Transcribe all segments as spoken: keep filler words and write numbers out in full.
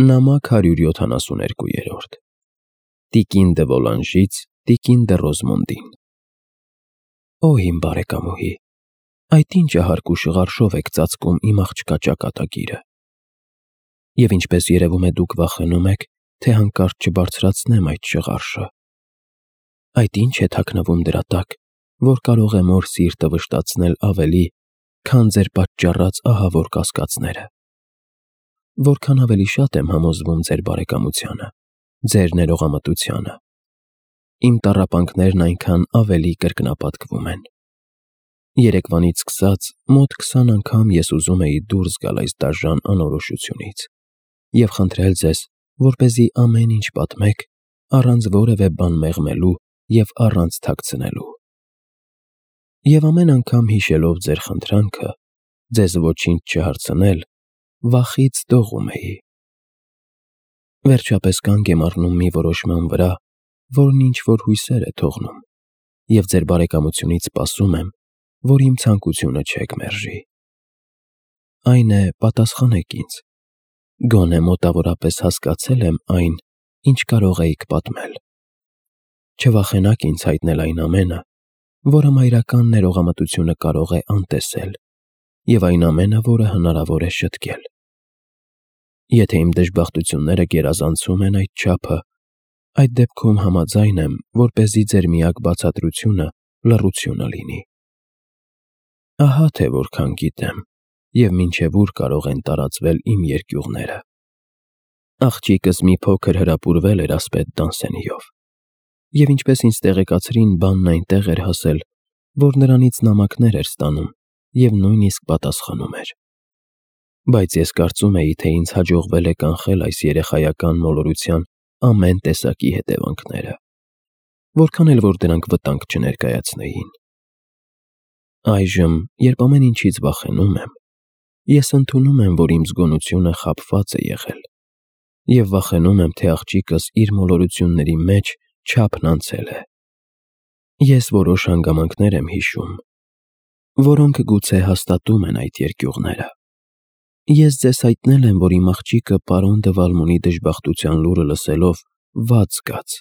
Նամակ հարյուր յոթանասուներկու Տիկին դե Վոլանժից Տիկին դե Ռոզմոնդին Օ իմ բարեկամուհի, այդ ինչ հարկու շղարշով եք ծածկում իմ աղջկա ճակատագիրը, և ինչպես երևում է դուք վախենում եք, թե հանկարծ չբարձրացնեմ այդ շղարշը, այդ ինչ է թաքնվում դրա տակ, որ կարող է մոր սիրտը վշտացնել ավելի, քան ձեր պատճառած ահավոր կասկածները, որքան ավելի շատ եմ համոզվում ձեր բարեկամությանը, ձեր ներողամտությանը, իմ տառապանքներն այնքան ավելի կրկնապատկվում են։ Երեկվանից սկսած մոտ քսան անգամ ես ուզում էի դուրս գալ այս դաժան անորոշությունից և խնդրել ձեզ, որպեսզի ամեն ինչ պատմեք, առանց որևէ բան մեղմելու և առանց թաքցնելու։ Եվ ամեն անգամ հիշելով ձեր խնդրանքը, ձեզ ոչինչ չհարցնել, վախից դողում էի։ Վերջապես կանգ եմ առնում մի որոշման վրա, որն ինչ-որ հույսեր է թողնում, և ձեր բարեկամությունից սպասում եմ, որ իմ ցանկությունը չեք մերժի։ Այն է, պատասխանեք ինձ, գոնե մոտավորապես հասկացե՞լ եմ այն, ինչ կարող էիք պատմել։ Չվախենաք ինձ հայտնել այն ամենը, որը մայրական ներողամտությունը կարող է անտեսել, և այն ամենը, որը հնարավոր է շտկել։ Եթե իմ դժբախտությունները գերազանցում են այդ չափը, այդ դեպքում համաձայն եմ, որպեսզի ձեր միակ բացատրությունը լռությունը լինի։ Ահա թե որքան գիտեմ, և մինչև ուր կարող են տարածվել իմ երկյուղները։ Աղջիկս մի փոքր հրապուրվել էր ասպետ Դանսենիով, և ինչպես ինձ տեղեկացրին, բանն այնտեղ էր հասել, որ նրանից նամակներ էր ստանում և նույնիսկ պատասխանում էր։ Բայց ես կարծում էի, թե ինձ հաջողվել է կանխել այս երեխայական մոլորության ամեն տեսակի հետևանքները, որքան էլ որ դրանք վտանգ չներկայացնեին։ Այժմ, երբ ամեն ինչից վախենում եմ, ես ընդունում եմ, որ իմ զգոնությունը խաբված է եղել, և վախենում եմ, թե աղջիկս իր մոլորությունների մեջ չափն անցել է։ Ես որոշ հանգամանքներ եմ հիշում, որոնք գուցե հաստատում են այդ երկյուղները։ Ես ձեզ հայտնել եմ, որ իմ աղջիկը պարոն դը Վալմոնի դժբախտության լուրը լսելով վատ զգաց։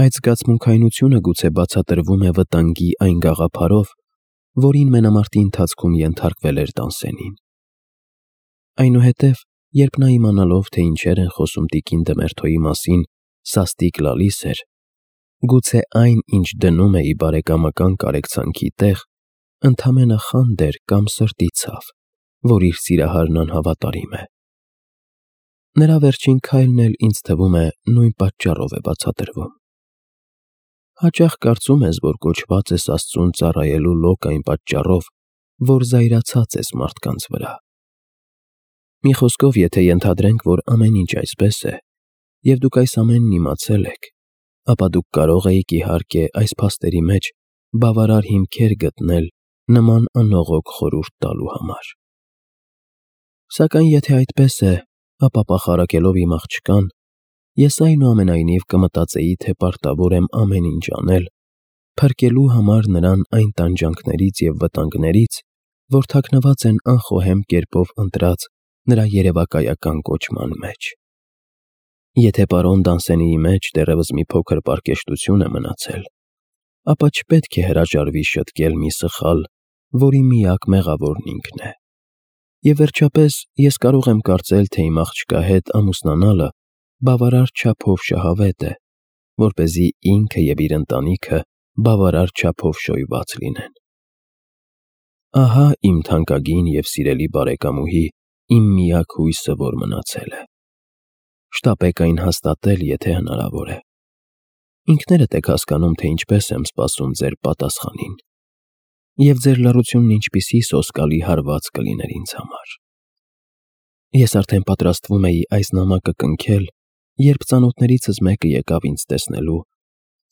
Այդ զգացմունքայնությունը գուցե բացատրվում է վտանգի այն գաղափարով, որին մենամարտի ընթացքում ենթարկվել էր Տանսենին։ Այնուհետև, երբ նա իմանալով, թե ինչեր են խոսում տիկին Դմերթոյի մասին, սաստիկ լալիս էր, գուցե այն, ինչ դնում էի բարեկամական կարեկցանքի տեղ, ընդամենը խանդ էր կամ սրտի ցավ, որ իր սիրահարն անհավատարիմ է։ Նրա վերջին քայլն էլ ինձ թվում է նույն պատճառով է բացատրվում։ Հաճախ կարծում ես, որ կոչված ես Աստծուն ծառայելու լոկ այն պատճառով, որ զայրացած ես մարդկանց վրա։ Մի խոսքով, եթե ենթադրենք, որ ամեն ինչ այսպես է, և դուք այս ամենն իմացել եք, ապա դուք կարող էիք, իհարկե, այս փաստերի մեջ բավարար հիմքեր գտնել նման անողոք խորհուրդ տալու համար։ Սակայն եթե այդպես է, ապա պախարակելով իմ աղջկան, ես այնուամենայնիվ կմտածեի, թե պարտավոր եմ ամեն ինչ անել, փրկելու համար նրան այն տանջանքներից և վտանգներից, որ թաքնված են անխոհեմ կերպով ընտրած նրա երևակայական կոչման մեջ։ Եթե պարոն Դանսենիի մեջ դեռևս մի փոքր պարկեշտություն է մնացել, ապա չպետք է հրաժարվի շտկել մի սխալ, որի միակ մեղավորն ինքն է։ Եվ վերջապես, ես կարող եմ կարծել, թե իմ աղջկա հետ ամուսնանալը բավարար չափով շահավետ է, որպեսզի ինքը և իր ընտանիքը բավարար չափով շոյված լինեն։ Ահա իմ թանկագին և սիրելի բարեկամուհի, իմ միակ հույսը, որ մնացել է։ Շտապեք այն հաստատել, եթե հնարավոր է։ Ինքներդ եք հասկանում, թե ինչպես եմ սպասում ձեր պատասխանին, և ձեր լռությունն ինչպիսի սոսկալի հարված կլիներ ինձ համար։ Ես արդեն պատրաստվում էի այս նամակը կնքել, երբ ծանոթներիցս մեկը եկավ ինձ տեսնելու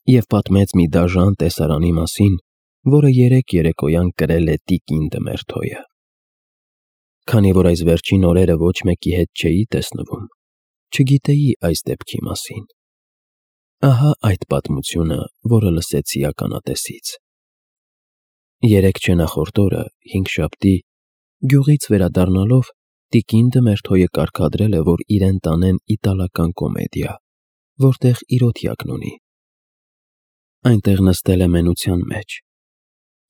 և պատմեց մի դաժան տեսարանի մասին, որը երեկ երեկոյան կրել է տիկին Դմերթոյը։ Քանի որ այս վերջին օրերը ոչ մեկի հետ չէի տեսնվում, չգիտեի այս դեպքի մասին։ Ահա այդ պատմությունը, որը լսեցի ականատեսից։ Երեկ չէ նախորդ օրը, հինգշաբթի, գյուղից վերադառնալով, տիկին Դմերթոյը կարգադրել է, որ իրեն տանեն իտալական կոմեդիա, որտեղ իրոթյակն ունի։ Այնտեղ նստել է մենության մեջ,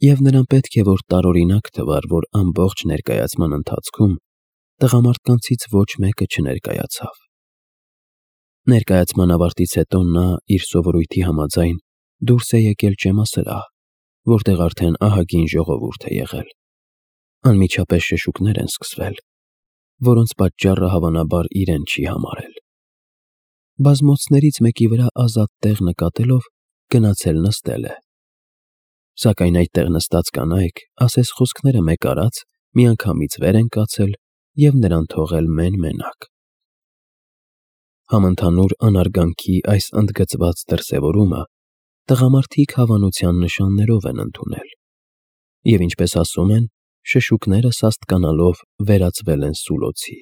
և նրան պետք է, որ տարօրինակ թվար, որ ամբողջ ներկայացման ընթացքում տղամարդկանցից ոչ մեկը չներկայացավ։ Ներկայացման ավարտից հետո նա իր սովորույթի համաձայն դուրս է եկել ճեմասրահ, որտեղ արդեն ահագին ժողովուրդ է եղել։ Անմիջապես շշուկներ են սկսվել, որոնց պատճառը հավանաբար իրեն չի համարել։ Բազմոցներից մեկի վրա ազատ տեղ նկատելով, գնացել նստել է։ Սակայն այդտեղ նստած կանայք, ասես խոսքները մեկ արած, միանգամից վեր են կացել և նրան թողել մեն֊մենակ։ Համընդհանուր անարգանքի այս ընդգծված դրսևորումը տղամարդիկ հավանության նշաններով են ընդունել, և ինչպես ասում են, շշուկները սաստկանալով վերածվել են սուլոցի։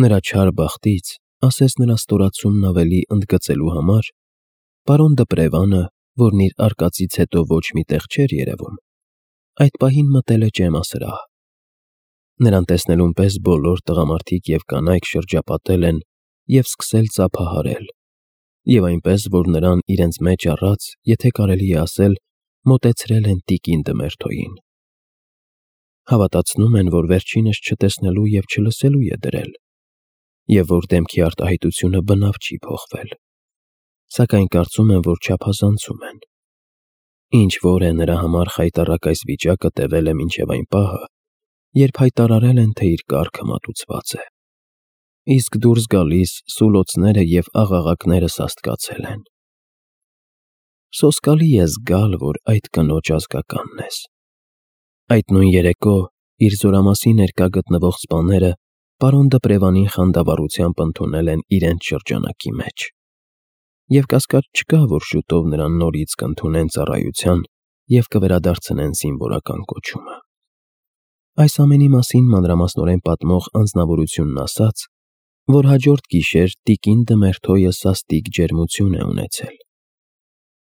Նրա չար բախտից, ասես նրա ստորացումն ավելի ընդգծելու համար, պարոն Դպրևանը, որն իր արկածից հետո ոչ մի տեղ չէր երևում, այդ պահին մտել է ճեմասրահ։ Նրան տեսնելուն պես բոլոր տղամարդիկ և կանայք շրջապատել են և սկսել ծափահարել, և այնպես, որ նրան իրենց մեջ առած, եթե կարելի է ասել, մոտեցրել են տիկին Դմերթոյին։ Հավատացնում են, որ վերջինս չտեսնելու և չլսելու է դրել, և որ դեմքի արտահայտությունը բնավ չի փոխվել, սակայն կարծում են, որ չափազանցում են։ Ինչ-որ է նրա համար խայտառակ այս վիճակը տևել է մինչև այն պահը, երբ հայտարարել են, թե իր կառքը մատուցված է, իսկ դուրս գալիս սուլոցները և աղաղակները սաստկացել են։ Սոսկալի է զգալ, որ այդ կնոջ ազգականն ես։ Այդ նույն երեկո իր զորամասի ներկա գտնվող սպաները պարոն Դպրևանին խանդավառությամբ ընդունել են իրենց շրջանակի մեջ, և կասկած չկա, որ շուտով նրան նորից կընդունեն ծառայության և կվերադարձնեն զինվորական կոչումը։ Այս ամենի մասին մանրամասնորեն պատմող անձնավորությունն ասաց, որ հաջորդ գիշեր տիկին Դմերթոյը սաստիկ ջերմություն է ունեցել։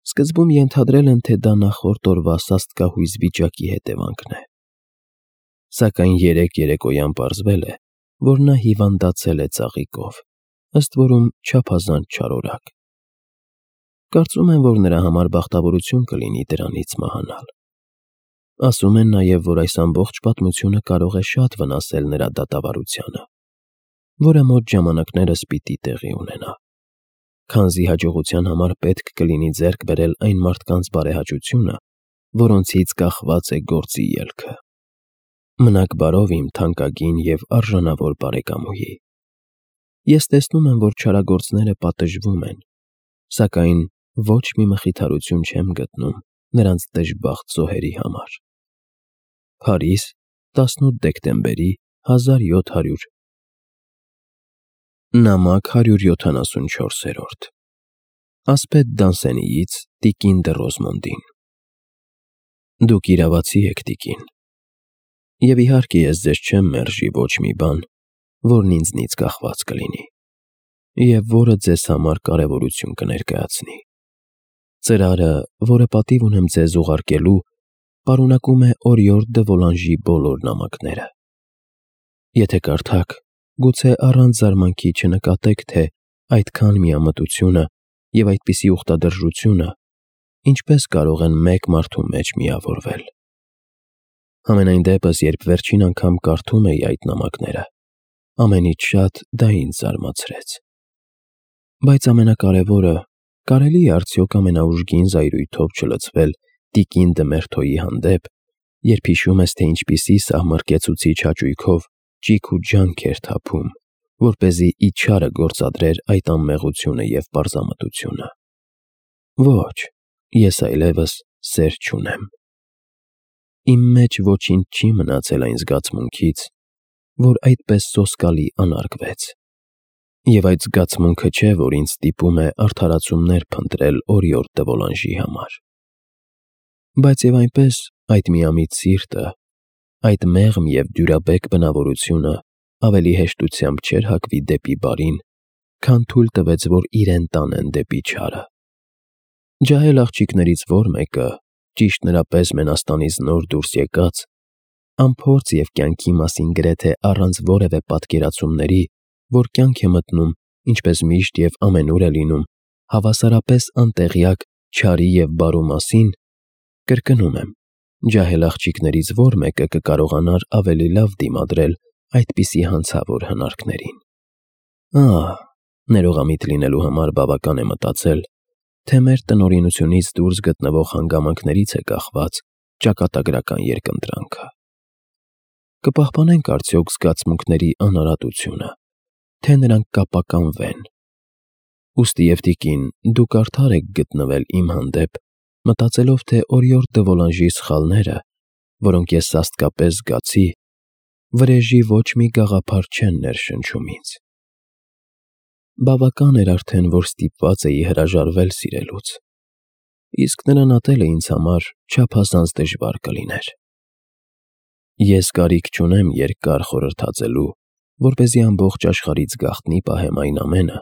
Սկզբում ենթադրել են, թե դա նախորդ օրվա սաստկահույզ վիճակի հետևանքն է, սակայն երեկ երեկոյան պարզվել է, որ նա հիվանդացել է ծաղիկով, ըստ որում չափազանց չարորակ։ Կարծում են, որ նրա համար բախտավորություն կլինի դրանից մահանալ։ Ասում են նաև, որ այս ամբողջ պատմությունը կարող է շատ վնասել նրա դատավարությանը, որը մոտ ժամանակներս պիտի տեղի ունենա, քանզի հաջողության համար պետք կլինի ձեռք բերել այն մարդկանց բարեհաճությունը, որոնցից կախված է գործի ելքը։ Մնաք բարով, իմ թանկագին և արժանավոր բարեկամուհի։ Ես տեսնում եմ, որ չարագործները պատժվում են, սակայն ոչ մի մխիթարություն չեմ գտնում նրանց դժբախտ զոհերի համար։ Փարիզ, տասնութ դեկտեմբերի հազար յոթ հարյուր Նամակ հարյուր յոթանասունչորս Ասպետ Դանսենիից տիկին դը Ռոզմոնդին։ Դուք իրավացի եք, տիկին, և իհարկե ես ձեզ չեմ մերժի ոչ մի բան, որն ինձնից կախված կլինի, և որը ձեզ համար կարևորություն կներկայացնի։ Ծրարը, որը պատիվ ունեմ ձեզ ուղարկելու, պարունակում է Օրիորդ դը Վոլանժի բոլոր նամակները։ Եթե կարդաք, գուցե առանց զարմանքի չնկատեք, թե այդքան միամտությունը և այդպիսի ուխտադրժությունը ինչպես կարող են մեկ մարդու մեջ միավորվել։ Համենայն դեպս, երբ վերջին անգամ կարդում էի այդ նամակները, ամենից շատ դա ինձ զարմացրեց։ Բայց ամենակարևորը, կարելի է արդյոք ամենաուժգին զայրույթով չլցվել տիկին Դմերթոյի հանդեպ, երբ հիշում ես, թե ինչպիսի սահմռկեցուցիչ հաճույքով ճիգ ու ջանք էր թափում, որպեսզի իջարը գործադրեր այդ անմեղությունը և պարզամտությունը։ Ոչ, ես այլևս սեր չունեմ։ Իմ մեջ ոչինչ չի մնացել այն զգացմունքից, որ այդպես սոսկալի անարգվեց, և այդ զգացմունքը չէ, որ ինձ ստիպում է արդարացումներ փնտրել Օրիորդ դը Վոլանժի համար։ Բայց և այնպես այդ միամիտ սիրտը, այդ մեղմ և դյուրաբեկ բնավորությունը ավելի հեշտությամբ չէր հակվի դեպի բարին, քան թույլ տվեց, որ իրեն տանեն դեպի չարը։ Ջահել աղջիկներից որ մեկը, ճիշտ նրա պես Մենաստանից նոր դուրս եկած, անփորձ և կյանքի մասին գրեթե առանց որևէ պատկերացումների, որ կյանք է մտնում, ինչպես միշտ և ամենուր է լինում, հավասարապես անտեղյակ չարի և բարու մասին, կրկնում եմ, ջահել աղջիկներից ո՞ր մեկը կկարողանար ավելի լավ դիմադրել այդպիսի հանցավոր հնարքներին։ Ահ, ներողամիտ լինելու համար բավական է մտածել, թե մեր տնօրինությունից դուրս գտնվող հանգամանքներից է կախված ճակատագրական երկընտրանքը։ Կպահպանե՞նք արդյոք զգացմունքների անարատությունը, թե նրանք կապականվեն։ Ուստի և տիկին, դուք արդար եք գտնվել իմ հանդեպ, մտածելով, թե օրիորդ դվոլանժի սխալները, որոնք ես սաստկապես զգացի, վրեժի ոչ մի գաղափար չեն ներշնչում ինձ։ Բավական էր արդեն, որ ստիպված էի հրաժարվել սիրելուց, իսկ նրան ատելը ինձ համար չափազանց դժվար կլիներ։ Ես կարիք չունեմ երկար խորհրդածելու, որպեսզի ամբողջ աշխարհից գաղտնի պահեմ այն ամենը,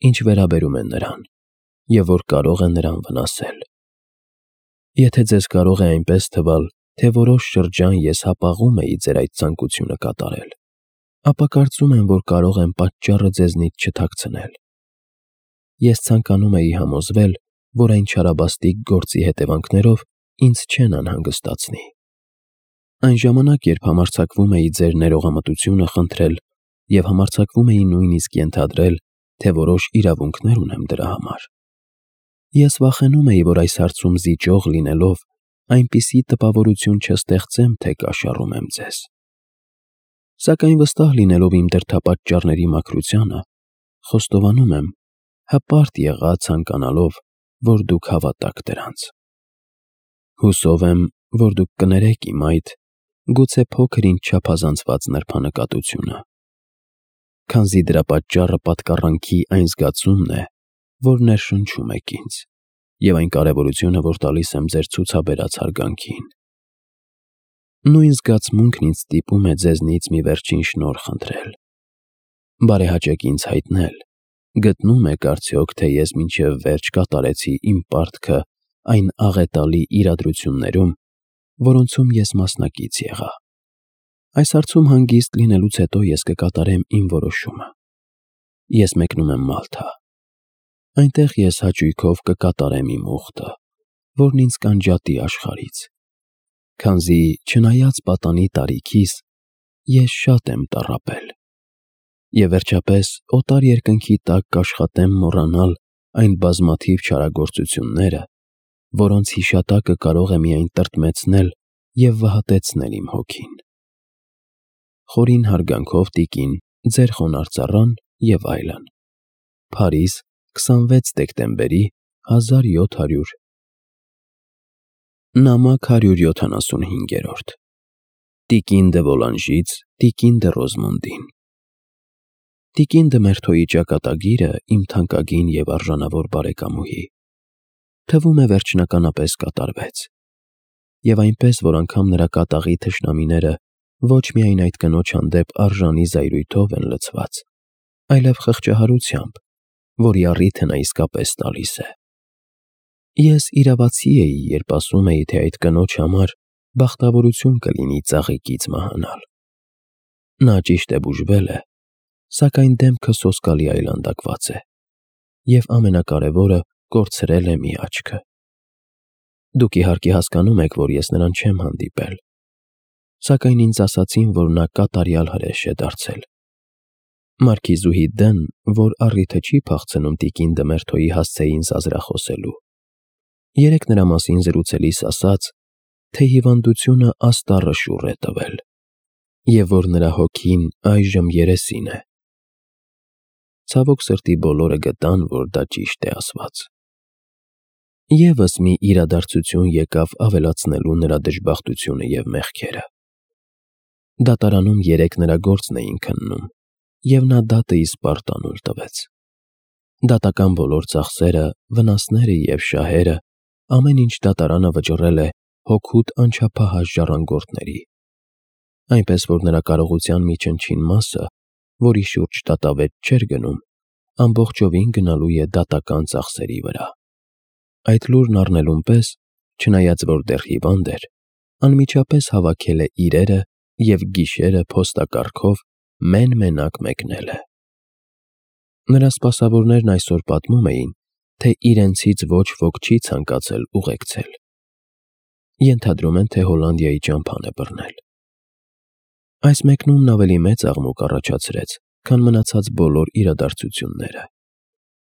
ինչ վերաբերում է նրան, և որ կարող է նրան վնասել։ Եթե ձեզ կարող է այնպես թվալ, թե որոշ շրջան ես հապաղում էի ձեր այդ ցանկությունը կատարել, ապա կարծում եմ, որ կարող եմ պատճառը ձեզնից չթաքցնել։ Ես ցանկանում էի համոզվել, որ այն չարաբաստիկ գործի հետևանքներով ինձ չեն անհանգստացնի։ Այն ժամանակ, երբ համարձակվում էի ձեր ներողամտությունը խնդրել և համարձակվում էի նույնիսկ ենթադրել, թե որոշ իրավունքներ ունեմ դրա համար, ես վախենում էի, որ այս հարցում զիջող լինելով, այնպիսի տպավորություն չստեղծեմ, թե կաշառում եմ ձեզ։ Սակայն վստահ լինելով իմ դրդապատճառների մաքրությանը, խոստովանում եմ, հպարտ եղա ցանկանալով, որ դուք հավատաք դրանց։ Հուսով եմ, որ դուք կներեք իմ այդ, գուցե փոքր-ինչ չափազանցված նրբանկատությունը, քանզի դրա պատճառը պատկառանքի այն զգացումն է, որ ներշնչում եք ինձ, և այն կարևորությունը, որ տալիս եմ ձեր ցուցաբերած հարգանքին։ Նույն զգացմունքն ինձ ստիպում է ձեզնից մի վերջին շնորհ խնդրել։ Բարեհաճեք ինձ հայտնել, գտնում եք արդյոք, թե ես մինչև վերջ կատարեցի իմ պարտքը այն աղետալի իրադրություններում, որոնցում ես մասնակից եղա։ Այս հարցում հանգիստ լինելուց հետո ես կկատարեմ իմ որոշումը։ Ես մեկնում եմ Մալթա։ Այնտեղ ես հաճույքով կկատարեմ իմ ուխտը, որն ինձ կանջատի աշխարհից, քանզի չնայած պատանի տարիքիս, ես շատ եմ տառապել։ Եվ վերջապես օտար երկնքի տակ կաշխատեմ մոռանալ այն բազմաթիվ չարագործությունները, որոնց հիշատակը կարող է միայն տրտմեցնել և վհատեցնել իմ հոգին։ Խորին հարգանքով, տիկին, ձեր խոնարհ ծառան և այլն։ Փարիզ, քսանվեց դեկտեմբերի հազար յոթ հարյուր Նամակ հարյուր յոթանասունհինգ Տիկին դը Վոլանժից տիկին դը Ռոզմոնդին։ Տիկին դը Մերթոյի ճակատագիրը իմ թանկագին և արժանավոր բարեկամուհի, թվում է վերջնականապես կատարվեց, և այնպես, որ անգամ նրա կատաղի թշնամիները ոչ միայն այդ կնոջ հանդեպ արժանի զայրույթով են լցված, այլև խղճահարությամբ, որի առիթը նա իսկապես տալիս է։ Ես իրավացի էի, երբ ասում էի, թե այդ կնոջ համար բախտավորություն կլինի ծաղիկից մահանալ։ Նա ճիշտ է բուժվել է, սակայն դեմքը սոսկալի այլանդակված է, և ամենակարևորը, կորցրել է մի աչքը։ Դուք իհարկե հասկանում եք, որ ես նրան չեմ հանդիպել, սակայն ինձ ասացին, որ նա կատարյալ հրեշ է դարձել։ Մարքիզուհի Դ֊ն, որ առիթը չի փախցնում տիկին դը Մերթոյի հասցեին զազրախոսելու, երեկ նրա մասին զրուցելիս ասաց, թե հիվանդությունը աստառը շուռ է տվել, և որ նրա հոգին այժմ երեսին է։ Ցավոք սրտի բոլորը գտան, որ դա ճիշտ է ասված։ Եվս մի իրադարձություն եկավ ավելացնելու նրա դժբախտությունը և մեղքերը։ Դատարանում երեկ նրա գործն էին քննում, և նա դատը իսպառ տանուլ տվեց։ Դատական բոլոր ծախսերը, վնասները և շահերը, ամեն ինչ դատարանը վճռել է հօգուտ անչափահաս ժառանգորդների, այնպես որ նրա կարողության մի չնչին մասը, որի շուրջ դատավետ չէր գնում, ամբողջովին գնալու է դատական ծախսերի վրա։ Այդ լուրն առնելուն պես, չնայած որ դեռ հիվանդ էր, անմիջապես հավաքել է իրերը և գիշերը փոստակառքով մեն-մենակ մեկնել է։ Նրա սպասավորներն այսօր պատմում էին, թե իրենցից ոչ ոք չի ցանկացել ուղեկցել։ Ենթադրում են, թե Հոլանդիայի ճամփան է բռնել։ Այս մեկնումն ավելի մեծ աղմուկ առաջացրեց, քան մնացած բոլոր իրադարձությունները,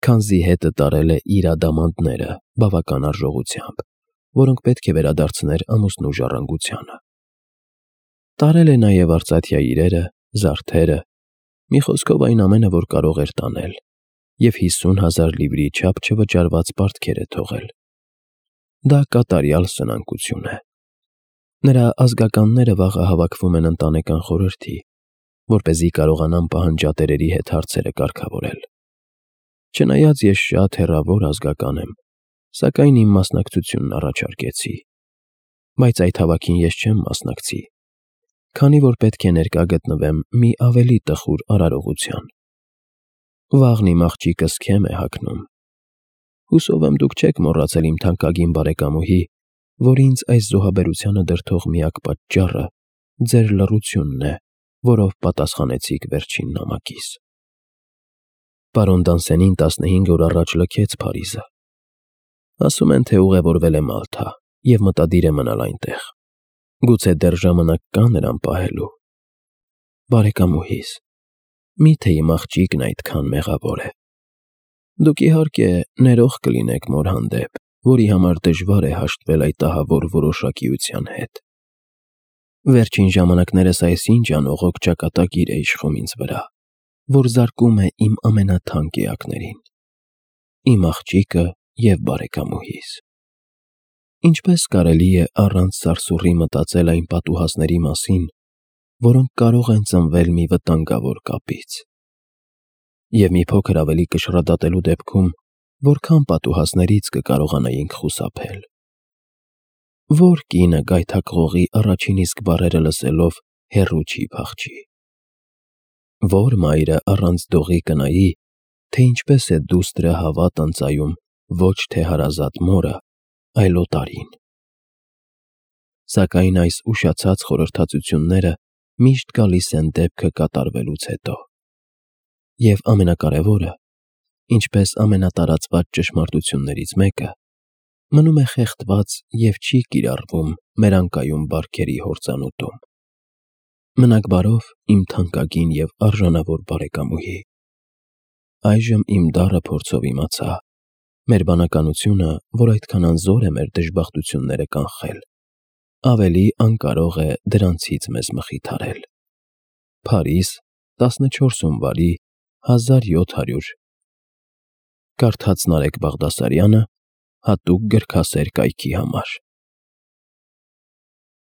քանզի հետը տարել է իր ադամանդները բավական արժողությամբ, որոնք պետք է վերադարձներ ամուսնու ժառանգությանը։ Տարել է նաև արծաթյա իրերը, զարդերը, մի խոսքով այն ամենը, որ կարող էր տանել, և հիսուն հազար լիվրի չափ չվճարված պարտքեր է թողել։ Դա կատարյալ սնանկություն է։ Նրա ազգականները վաղը հավաքվում են ընտանեկան խորհրդի, որպեսզի կարողանան պահանջատերերի հետ հարցերը կարգավորել։ Չնայած ես շատ հեռավոր ազգական եմ, սակայն իմ մասնակցությունն առաջարկեցի, բայց այդ հավաքին ես չեմ մասնակցի, քանի որ պետք է ներկա գտնվեմ մի ավելի տխուր արարողության։ Վաղն իմ աղջիկս քեմ է հագնում։ Հուսով եմ դուք չեք մոռացել իմ թանկագին բարեկամուհի, որ ինձ այս զոհաբերությանը դրդող միակ պատճառը ձեր լռությունն է, որով պատասխանեցիք վերջին նամակիս։ Պարոն Դանսենին տասնհինգ օր առաջ լքեց Փարիզը։ Ասում են, թե ուղևորվել է Մալթա և մտադիր է մնալ այնտեղ։ Գուցե դեռ ժամանակ կա նրան պահելու։ Բարեկամուհիս, մի՞թե իմ աղջիկն այդքան մեղավոր է։ Դուք իհարկե ներող կլինեք մոր հանդեպ, որի համար դժվար է հաշտվել այդ ահավոր որոշակիության հետ։ Վերջին ժամանակներս այսինչ անողոք ճակատագիր է իշխում ինձ վրա, որ զարկում է իմ ամենաթանկ էակներին՝ իմ աղջիկը և բարեկամուհիս։ Ինչպես կարելի է առանց սարսուռի մտածել այն պատուհասների մասին, որոնք կարող են ծնվել մի վտանգավոր կապից։ Եվ մի փոքր ավելի կշռադատելու դեպքում, որքան պատուհասներից կկարողանայինք խուսափել։ Ո՞ր կինը գայթակղողի առաջին իսկ բառերը լսելով հեռու չի փախչի։ Ո՞ր մայրը առանց դողի կնայի, թե ինչպես է դուստրը հավատ ընծայում ոչ թե հարազատ մորը, այլ օտարին։ Սակայն այս ուշացած խորհրդածությունները միշտ գալիս են դեպքը կատարվելուց հետո։ Եվ ամենակարևորը, ինչպես ամենատարածված ճշմարտություններից մեկը, մնում է խեղդված և չի կիրառվում մեր անկայուն բարքերի հորձանուտում։ Մնաք բարով, իմ թանկագին և արժանավոր բարեկամուհի։ Այժմ իմ դառը փորձով իմացա. մեր բանականությունը, որ այդքան անզոր է մեր դժբախտությունները կանխել, ավելի անկարող է դրանցից մեզ մխիթարել։ Փարիզ, տասնչորս հունվարի հազար յոթ հարյուր Կարդաց Նարեկ Բաղդասարյանը հատուկ գրքասեր կայքի համար։